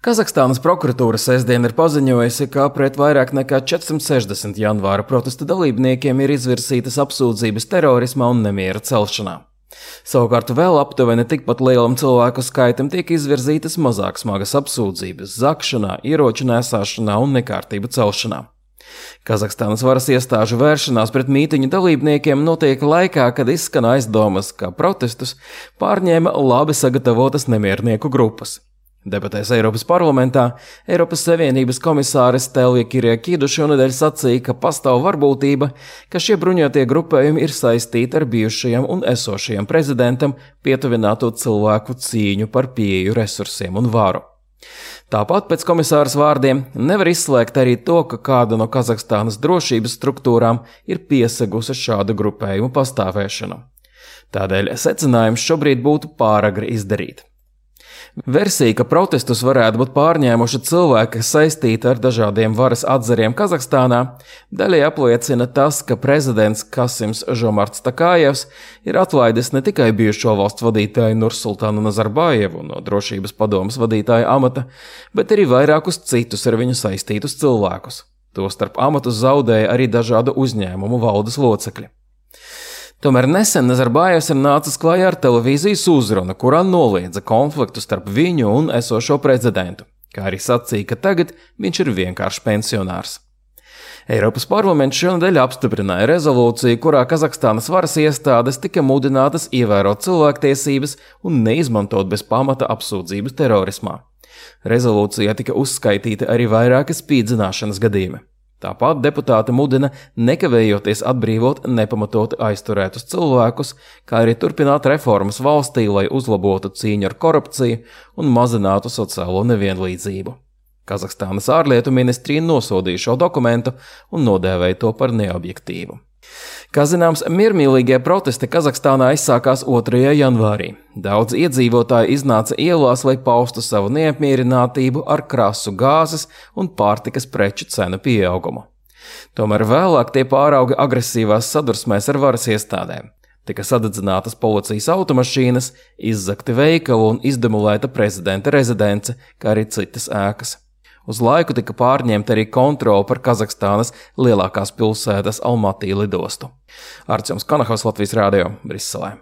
Kazahstānas prokuratūra sestdien ir paziņojusi, ka pret vairāk nekā 460 janvāra protesta dalībniekiem ir izvirsītas apsūdzības terorismā un nemiera celšanā. Savukārt vēl aptuveni tikpat lielam cilvēku skaitam tiek izvirzītas mazāk smagas apsūdzības zakšanā, ieroču nēsāšanā un nekārtību celšanā. Kazahstānas varas iestāžu vēršanās pret mītiņu dalībniekiem notiek laikā, kad izskan aizdomas, ka protestus pārņēma labi sagatavotas nemiernieku grupas. Debatēs Eiropas parlamentā Eiropas Savienības komisāre Stelja Kyriakidu šonedēļ sacīja, ka pastāv varbūtība, ka šie bruņotie grupējumi ir saistīti ar bijušajam un esošajam prezidentam pietuvināto cilvēku cīņu par pieeju resursiem un varu. Tāpat pēc komisāras vārdiem nevar izslēgt arī to, ka kāda no Kazahstānas drošības struktūrām ir piesegusi šādu grupējumu pastāvēšanu. Tādēļ secinājums šobrīd būtu pāragri izdarīt. Versija, ka protestus varētu būt pārņēmuši cilvēki, kas saistīti ar dažādiem varas atzariem Kazahstānā, daļai apliecina tas, ka prezidents Kasims Žomarts Takājevs ir atlaidis ne tikai bijušo valsts vadītāju Nursultānu Nazarbajevu no drošības padomes vadītāja amata, bet arī vairākus citus ar viņu saistītus cilvēkus. Tostarp amatus zaudēja arī dažādu uzņēmumu valdes locekļi. Tomēr nesen Nazarbajevs ir nācis klajā ar televīzijas uzrunu, kurā noliedza konfliktu starp viņu un esošo prezidentu, kā arī sacīja, ka tagad viņš ir vienkārši pensionārs. Eiropas parlaments šonedēļ apstiprināja rezolūciju, kurā Kazahstānas varas iestādes tika mudinātas ievērot cilvēktiesības un neizmantot bez pamata apsūdzības terorismā. Rezolūcijā tika uzskaitīti arī vairāki spīdzināšanas gadījumi. Tāpat deputāti mudina nekavējoties atbrīvot nepamatoti aizturētus cilvēkus, kā arī turpināt reformas valstī, lai uzlabotu cīņu ar korupciju un mazinātu sociālo nevienlīdzību. Kazahstānas ārlietu ministrija nosodīja šo dokumentu un nodēvēja to par neobjektīvu. Kā zināms, miermīlīgie protesti Kazahstānā aizsākās 2. janvārī. Daudz iedzīvotāji iznāca ielās, lai paustu savu neapmierinātību ar krasu gāzes un pārtikas preču cenu pieaugumu. Tomēr vēlāk tie pārauga agresīvās sadursmēs ar varas iestādēm. Tika sadedzinātas policijas automašīnas, izzagti veikali un izdemolēta prezidenta rezidence, kā arī citas ēkas. Uz laiku tika pārņemta arī kontrole par Kazahstānas lielākās pilsētas Almatī lidostu. Artjoms Kanahovs, Latvijas radio, Briselē.